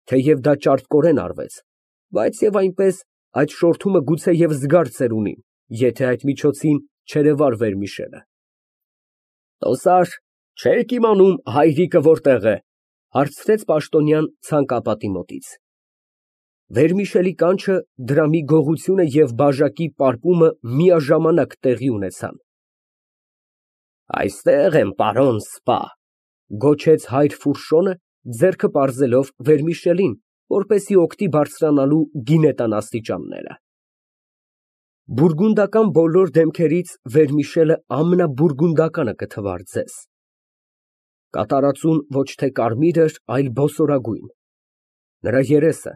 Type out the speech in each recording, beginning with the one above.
Թեև դա ճարպկորեն արվեց, բայց և այնպես այդ շորթումը գուցեև զգար ունի, եթե այդ միջոցին չերևար Վերմիշելը։ «Տոստար, չե՞ք իմանում հայրիկը որտեղ է, ֊ հարցրեց պաշտոնյան ցանկապատի մոտից։ Վերմիշելի կանչը, դրամի գողությունը և բաժակի պարպումը միաժամանակ տեղի ունեցան։ Այստեղ եմ, պարոն սպա, ֊ գոչեց հայր Ֆուրշոնը, ձեռքը պարզելով Վերմիշելին, որպեսզի օգտի բարձրանալու գինետան աստիճանները։ Բուրգունդական բոլոր դեմքերից Վերմիշելը ամենաբուրգունդականը կթվար ձեզ։ Կատարածուն ոչ թե կարմիր էր, այլ բոսորագույն։ Նրա երեսը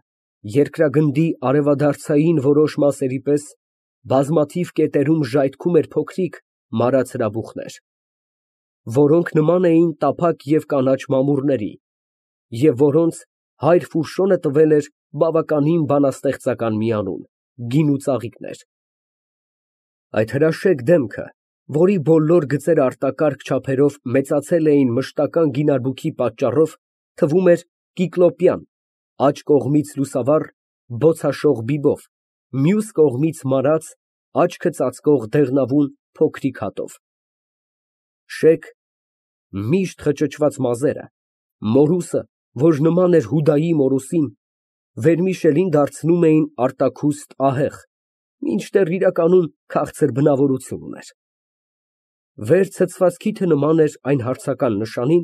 երկրագնդի արևադարձային որոշ մասերի պես բազմաթիվ կետերում ժայթքում էր փոքրիկ մարած հրաբուխներ, որոնք նման էին տափակ և կանաչ մամուռների, և որոնց հայր Ֆուրշոնը տվել էր բավականին բանաստեղծական մի անուն՝ գինու ծաղիկներ։ Այդ հրաշեկ դեմքը, որի բոլոր գծերը արտակարգ չափերով մեծացել էին մշտական գինարբուքի պատճառով, թվում էր կիկլոպյան, աջ կողմից լուսավառ, բոցաշող բիբով, մյուս կողմից մարած, աչքը ծածկող դեղնավուն փոքրիկ հատով։ Շեկ, միշտ խճճված մազերը, մորուսը, որ նման էր Հուդայի մորուսին, Վերմիշելին դարձնում էին արտաքուստ ահեղ, մինչդեռ իրականում քաղցր բնավորություն ուներ։ Վեր ցցված քիթը նման էր այն հարցական նշանին,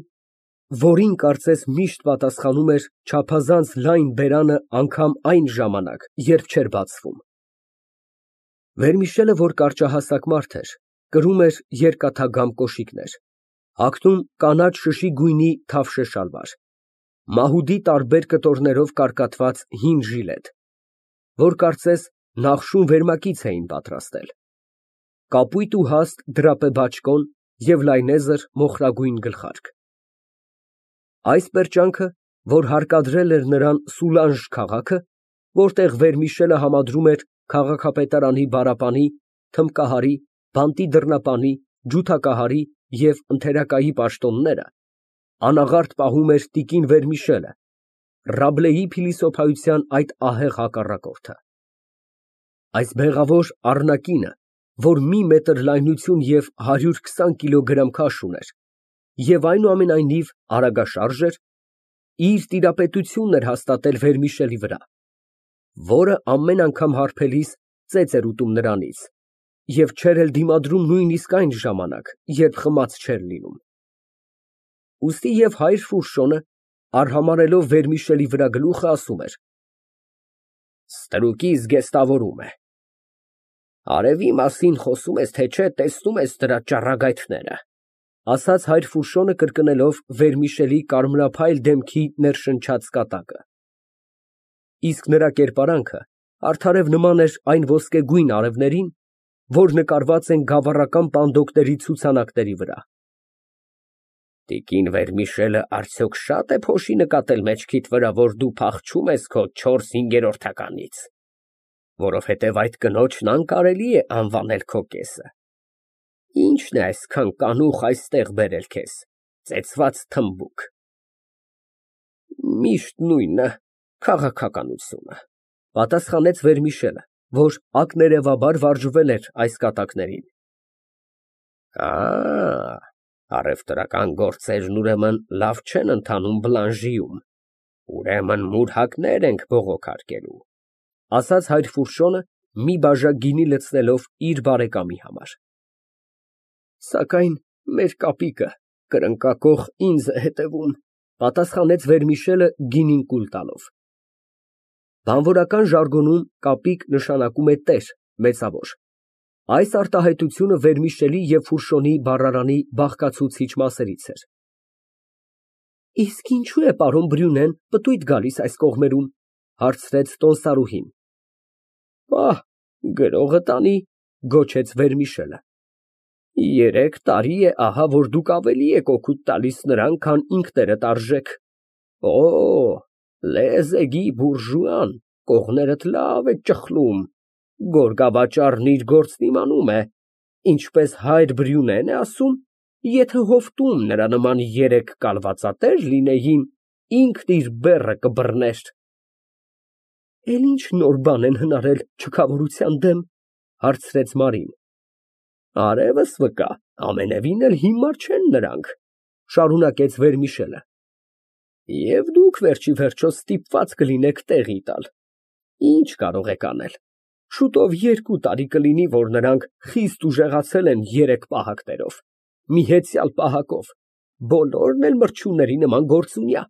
որին կարծես միշտ պատասխանում էր չափազանց լայն բերանը անգամ այն ժամանակ, երբ չէր բացվում։ Վերմիշելը, որ կարճահասակ մարդ էր, կրում էր երկաթագամ կոշիկներ, հագնում կանաչ շշի գույնի թավշե շալվար, մահուդի տարբեր կտորներով կարկատված հին ժիլետ, որ կարծես նախշում վերմակից էին պատրաստել, կապույտ ու հաստ դրապե բաճկոն և լայնեզր մոխրագույն գլխարկ։ Այս պերճանքը, որ հարկադրել էր նրան Սուլանժ քաղաքը, որտեղ Վերմիշելը համադրում էր քաղաքապետարանի բարապանի, թմբկահարի, բանտի դռնապանի, ջութակահարի և ընդերակայի պաշտոնները, անաղարտ պահում էր տիկին Վերմիշելը, Ռաբլեի փիլիսոփայության այդ ահեղ հակառակորդը։ Այս բեղավոր առնակինը, որ մի մետր լայնություն և 120 կիլոգրամ քաշ ուներ, և այնուամենայնիվ արագաշարժ էր, իր տիրապետությունն էր հաստատել Վերմիշելի վրա, որը ամեն անգամ հարբելիս ծեծ էր ուտում նրանից և չէր էլ դիմադրում նույնիսկ այն ժամանակ, երբ խմած չէր լինում։ Ուստի և հայր Ֆուրշոնը, արհամարհելով Վերմիշելի վրա գլուխը, ասում էր. «Ստրուկի զգեստավորում է։ Արևի մասին խոսում ես, թե չէ տեսնում ես դրա ճառագայթները», ֊ ասաց հայր Ֆուրշոնը, կրկնելով Վերմիշելի կարմրափայլ դեմքի ներշնչած կատակը։ Իսկ նրա կերպարանքը արդարև նման էր այն ոսկեգույն արևներին, որ նկարված են գավառական պանդոկների ցուցանակների վրա։ Տիկին Վերմիշելը արդյոք շա՞տ է փոշի նկատել մեջքիդ վրա, որ դու փախչում ես քո 4/5-ականից, որովհետև այդ կնոջն անկարելի է անվանել քո կեսը։ Ի՞նչն է այսքան կանուխ այստեղ բերել քեզ, ծեծված թմբուկ։ Միշտ նույնը, քաղաքականությունը, ֊ պատասխանեց Վերմիշելը, որ ակներևաբար վարժվել էր այս կատակներին։ Առևտրական գործերն ուրեմն լավ չեն ընթանում Բլանժիում, ուրեմն մուրհակներ ենք բողոքարկելու, ֊ ասաց հայր Ֆուրշոնը, մի բաժակ գինի լցնելով իր բարեկամի համար։ Սակայն մեր կապիկը կրնկակոխ ինձ է հետևում, ֊ պատասխանեց Վերմիշելը գինին կուլ տալով։ Բանվորական ժարգոնում կապիկ նշանակում է տեր, մեծավոր։ Այս արտահայտությունը Վերմիշելի և Ֆուրշոնի բառարանի բաղկացուցիչ մասերից էր։ Իսկ ինչո՞ւ է պարոն Բրյունեն պտույտ գալիս այս կողմերում, ֊ հարցրեց տոստարուհին։ Պահ, գրողը տանի, ֊ գոչեց Վերմիշելը։ 3 տարի է ահա, որ դուք ավելի եք օգուտ տալիս նրան, քան ինքներդ արժեք։ Օ, լեզեգի բուրժուան կողներդ լավ է ճխլում, գորգավաճառն իր գործն իմանում է, ինչպես հայր Բրյունեն է ասում, եթե հովտում նրա նման 3 կալվածատեր լինեին, ինքն իր բեռը կբռներ։ Էլ ինչ նոր բան են հնարել չքավորության դեմ, հարցրեց Մարին։ Արևս վկա, ամենևին էլ հիմար չեն նրանք, շարունակեց Վերմիշելը։ Եվ դուք վերջի վերջո ստիպված կլինեք տեղի տալ։ Ինչ կարող եք անել։ Շուտով 2 տարի կլինի, որ նրանք խիստ ուժեղացել են 3 պահակներով, մի հեծյալ պահակով, բոլորն էլ մրջյունների նման գործունյա,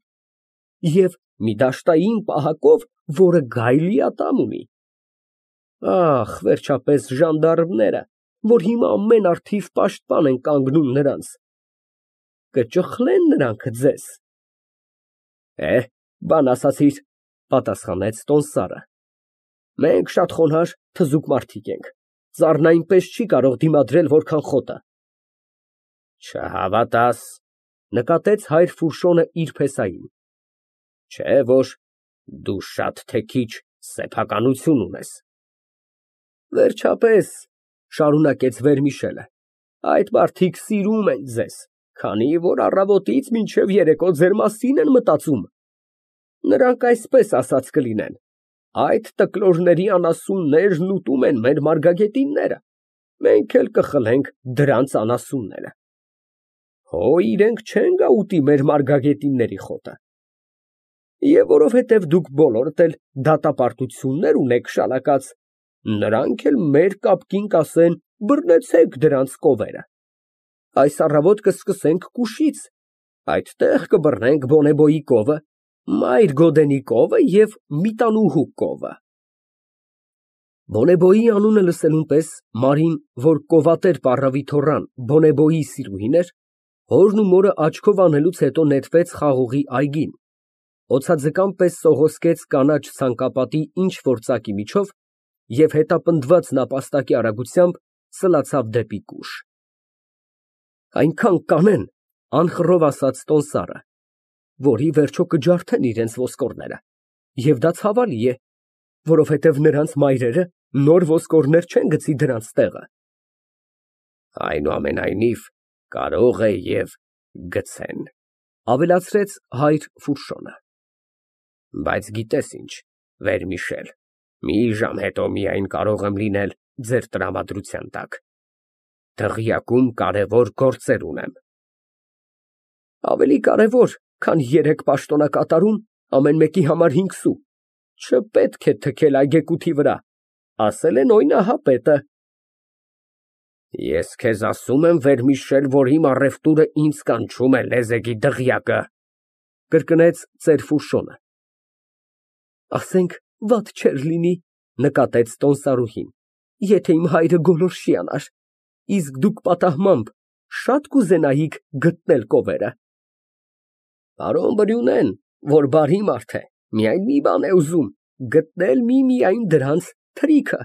և մի դաշտային պահակով, որը գայլի ատամ ունի։ Ախ, վերջապես ժանդարմները, որ հիմա ամեն առթիվ պաշտպան են կանգնում նրանց, կճխլեն նրանք ձեզ։ Բան ասացիր, պատասխանեց տոմսարը։ Մենք շատ խոնարհ, թզուկ մարդիկ ենք, ծառն այնպես չի կարող դիմադրել որքան խոտը։ Չհավատաս, նկատեց հայր Ֆուրշոնը իր փեսային։ Չէ որ դու շատ թե քիչ սեփականություն ունես։ Վերջապես, շարունակեց Վերմիշելը, այդ մարդիկ սիրում են ձեզ, քանի որ առավոտից մինչև երեկո ձեր մասին են մտածում։ Նրանք այսպես ասած կլինեն. այդ տկլորների անասուններն ուտում են մեր մարգագետինները, մենք էլ կխլենք դրանց անասունները։ Հո իրենք չեն գա ուտի մեր մարգագետինների խոտը։ Եվ որովհետև դուք բոլորդ էլ դատապարտություններ ունեք շալակած, նրանք էլ մեր կապկին կասեն. բռնեցեք դրանց կովերը։ Այս առավոտ կսկսենք Կուշից, այդտեղ կբռնենք Բոնեբոյի կովը, Մայր Գոդենի կովը և Միտանուհու կովը։ Բոնեբոյի անունը լսելուն պես Մարին, որ կովատեր պառավի թոռան Բոնեբոյի սիրուհին էր, հորն ու մորը աչքով անելուց հետո նետվեց խաղողի այգին, օձաձկան պես սողոսկեց կանաչ ցանկապատի ինչ֊որ ծակի միջով և հետապնդված նապաստակի արագությամբ սլացավ դեպի Կուշ։ Այնքան կանեն, անխռով ասաց տոմսարը, որ ի վերջո կջարդեն իրենց ոսկորները, և դա ցավալի է, որովհետև նրանց մայրերը նոր ոսկորներ չեն գցի դրանց տեղը։ Այնուամենայնիվ, կարող է և գցեն, ավելացրեց հայր Ֆուրշոնը։ Բայց գիտես ինչ, Վերմիշել, մի ժամ հետո միայն կարող եմ լինել ձեր տրամադրության տակ։ Դղյակում կարևոր գործեր ունեմ։ Ավելի կարևոր, քան 3 պաշտոնակատարում, ամեն մեկի համար 5 սու, չպետք է թքել այգեկութի վրա, ասել են օյնահապետը։ Ես քեզ ասում եմ, Վերմիշել, որ իմ առևտուրը ինձ կանչում է լեզեգի դղյակը, կրկնեց ծեր Ֆուրշոնը։ Ասենք, վատ չէր լինի, նկատեց տոմսարուհին, եթե իմ հայրը գոլորշի անար, իսկ դուք պատահմամբ շատ կուզենայիք գտնել կովերը։ Պարոն Բրյունեն, որ բարի մարդ է, միայն մի բան է ուզում, գտնել միմիայն դրանց թրիքը,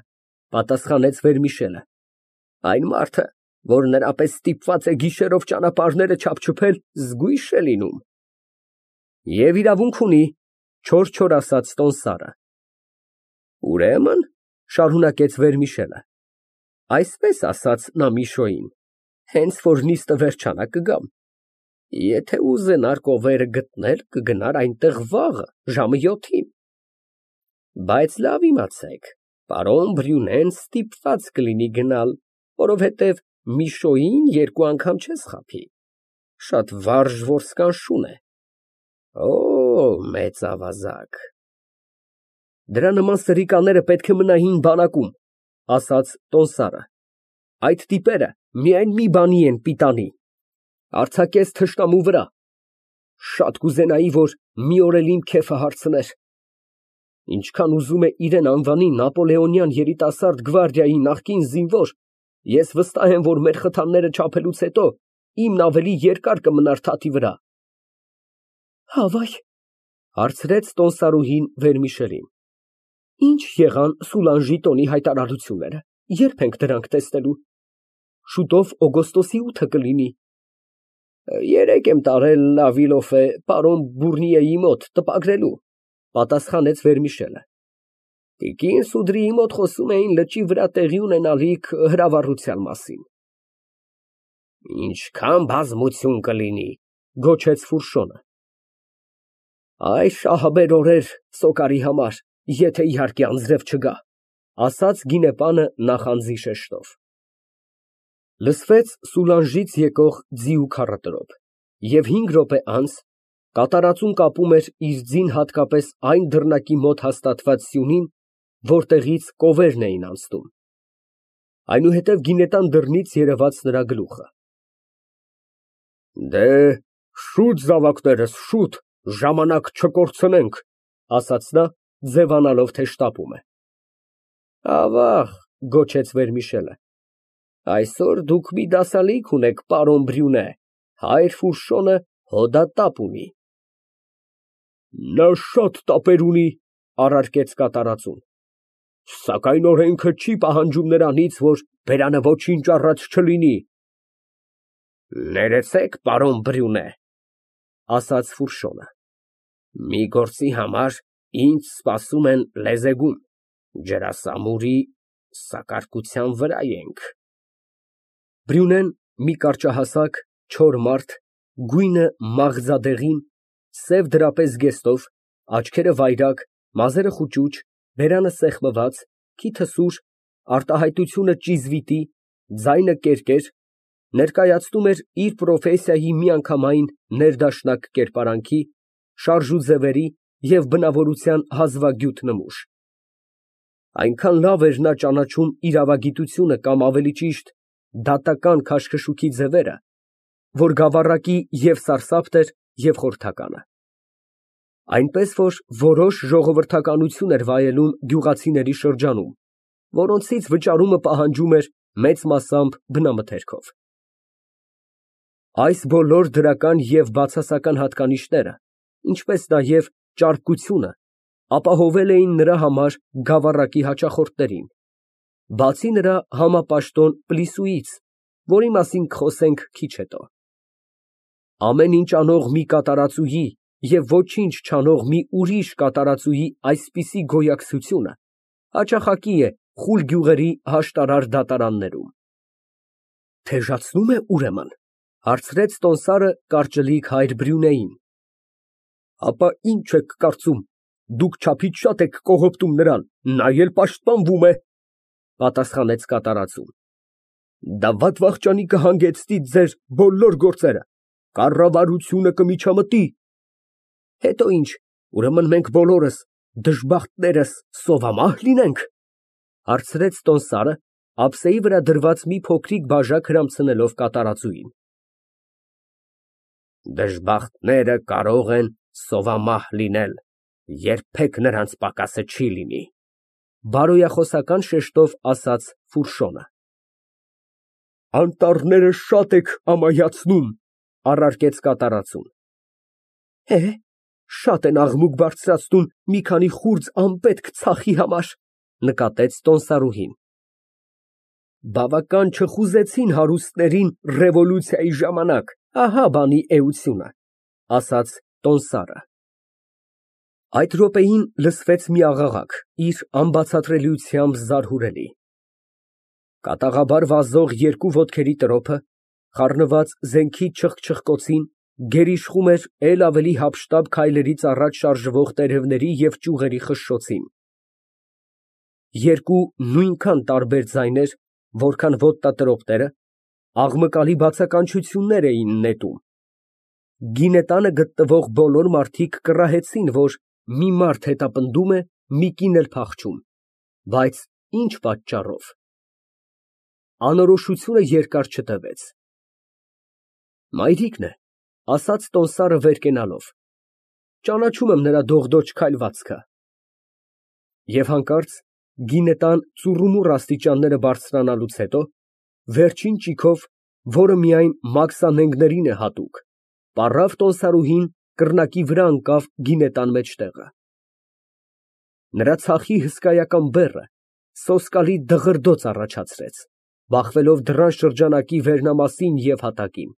պատասխանեց Վերմիշելը։ Այն մարդը, որ նրա պես ստիպված է գիշերով ճանապարհները չափչփել, զգույշ է լինում։ Եվ իրավունք ունի, չոր ասաց տոմսարը։ Ուրեմն, շարունակեց Վերմիշելը, այսպես ասաց նա Միշոյին, հենց որ նիստը վերջանա կգամ։ Եթե ուզենար կովերը գտնել, կգնար այնտեղ վաղը, ժամը 7-ին։ Բայց լավ իմացեք, պարոն Բրյունեն ստիպված կլինի գնալ, որովհետև Միշոյին 2 անգամ չես խաբի, շատ վարժ որսկանշուն է։ Օ, մեծ ավազակ։ Դրա նման սրիկաները պետք է մնային բանակում, ասաց տոմսարը։ Այդ տիպերը միայն մի բանի են պիտանի, արձակես թշնամու վրա։ Շատ կուզենայի, որ մի օր էլ իմ քեֆը հարցներ։ Ինչքան ուզում է իրեն անվանի Նապոլեոնյան երիտասարդ գվարդիայի նախկին զինվոր, ես վստահ եմ, որ մեր խթանները չափելուց հետո իմն ավելի երկար կմնար թաթի վրա։ Հավայ, հարցրեց տոմսարուհին Վերմիշելին։ Ինչ եղան Սուլանժի տոնի հայտարարությունները, երբ ենք դրանք տեսնելու։ Շուտով օգոստոսի 8-ը կլինի։ 3 եմ տարել Լավիլոֆե պարոն Բուրնիեի մոտ տպագրելու, պատասխանեց Վերմիշելը։ Տիկին Սուդրիի մոտ խոսում էին լճի վրա տեղի ունենալիք հրավառության մասին։ Ինչքան բազմություն կլինի, գոչեց Ֆուրշոնը։ Այ շահաբեր օրեր Սոկարի համար, եթե իհարկե անձրև չգա, ասաց գինեպանը նախանձի շեշտով։ Լսվեց Սուլանժից եկող ձիու քառատրոփ, և 5 րոպե անց կատարածուն կապում էր իր ձին հատկապես այն դռնակի մոտ հաստատված սյունին, որտեղից կովերն էին անցնում։ Այնուհետև գինետան դռնից երևաց նրա գլուխը։ Շուտ զավակներս, շուտ, ժամանակ չկորցնենք, ասաց նա, ձևանալով, թե շտապում է։ Ավաղ, գոչեց Վերմիշելը, այսօր դուք մի դասալիկ ունեք, պարոն Բրյունե, հայր Ֆուրշոնը հոդատապ ունի։ Նա շատ տապեր ունի, առարկեց կատարածուն, սակայն օրենքը չի պահանջում նրանից, որ բերանը ոչինչ առած չլինի։ Ներեցեք, պարոն Բրյունե, ասաց Ֆուրշոնը, մի գործի համար ինձ սպասում են լեզեգում, ջրասամուրի սակարկության վրա ենք։ Բրյունեն մի կարճահասակ, չոր մարդ, գույնը մաղձադեղին, սև դրապեզ զգեստով, աչքերը վայրագ, մազերը խուճուճ, բերանը սեղմված, քիթը սուր, արտահայտությունը ճիզվիտի, ձայնը կերկեր, ներկայացնում էր իր պրոֆեսիայի միանգամայն ներդաշնակ կերպարանքի, շարժուձևերի և բնավորության հազվագյուտ նմուշ։ Այնքան լավ էր նա ճանաչում իրավագիտությունը կամ ավելի ճիշտ դատական քաշքշուքի ձևերը, որ գավառակի և սարսափն էր, և խորհրդականը։ Այնպես որ որոշ ժողովրդականություն էր վայելում գյուղացիների շրջանում, որոնցից վճարումը պահանջում էր մեծ մասամբ բնամթերքով։ Այս բոլոր դրական և բացասական հատկանիշները, ինչպես նաև ճարպկությունը ապահովել էին նրա համար գավառակի հաճախորդներին, բացի նրա համապաշտոն Պլիսուից, որի մասին կխոսենք քիչ հետո։ Ամեն ինչ անող մի կատարածուհի և ոչինչ չանող մի ուրիշ կատարածուհի այսպիսի գոյակցությունը հաճախակի է խուլ գյուղերի հաշտարար դատարաններում։ Թեժացնո՞ւմ է, ուրեմն, հարցրեց տոմսարը կարճլիկ հայր Բրյունեին։ Ապա ինչ եք կարծում, դուք չափից շատ եք կողոպտում նրան, նա էլ պաշտպանվում է, պատասխանեց կատարածուն։ Դա վատ-վախճանի կհանգեցնի ձեր բոլոր գործերը, կառավարությունը կմիջամտի։ Հետո ինչ, ուրեմն մենք բոլորս, դժբախտներս, սովամահ լինենք, հարցրեց տոմսարը, ափսեի վրա դրված մի փոքրիկ բաժակ հրամցնելով կատարածուին։ Դժբախտները կարող են սովամահ լինել, երբեք նրանց պակասը չի լինի, բարոյախոսական շեշտով ասաց Ֆուրշոնը։ Անտառները շատ եք ամայացնում, առարկեց կատարածուն։ Շատ են աղմուկ բարձրացնում մի քանի խուրձ անպետք ցախի համար, նկատեց տոմսարուհին։ Բավական չխուզեցին հարուստներին ռևոլյուցիայի ժամանակ, ահա բանի էությունը, ասաց տոմսարը։ Այդ րոպեին լսվեց մի աղաղակ, իր անբացատրելիությամբ զարհուրելի։ Կատաղաբար վազող երկու ոտքերի տրոփը, խառնված զենքի չխչխկոցին, գերիշխում էր էլ ավելի հափշտապ քայլերից առաջ շարժվող տերևների և ճյուղերի խշշոցին։ Երկու նույնքան տարբեր ձայներ, որքան ոտնատրոպները, աղմկալի բացականչություններ էին նետում։ Գինետանը գտնվող բոլոր մարդիկ կռահեցին, որ մի մարդ հետապնդում է, մի կին էլ փախչում, բայց ինչ պատճառով։ Անորոշությունը երկար չտևեց։ Մայրիկն է, ասաց տոմսարը վեր կենալով, ճանաչում եմ նրա դողդոջ քայլվածքը։ Եվ հանկարծ գինետան ծուռումուռ աստիճանները բարձրանալուց հետո, վերջին ճիգով, որը միայն մաքսանենգներին է հատուկ, պառավ տոմսարուհին կռնակի վրա ընկավ գինետան մեջտեղը։ Նրա ցախի հսկայական բեռը սոսկալի դղրդոց առաջացրեց, բախվելով դռան շրջանակի վերնամասին և հատակին։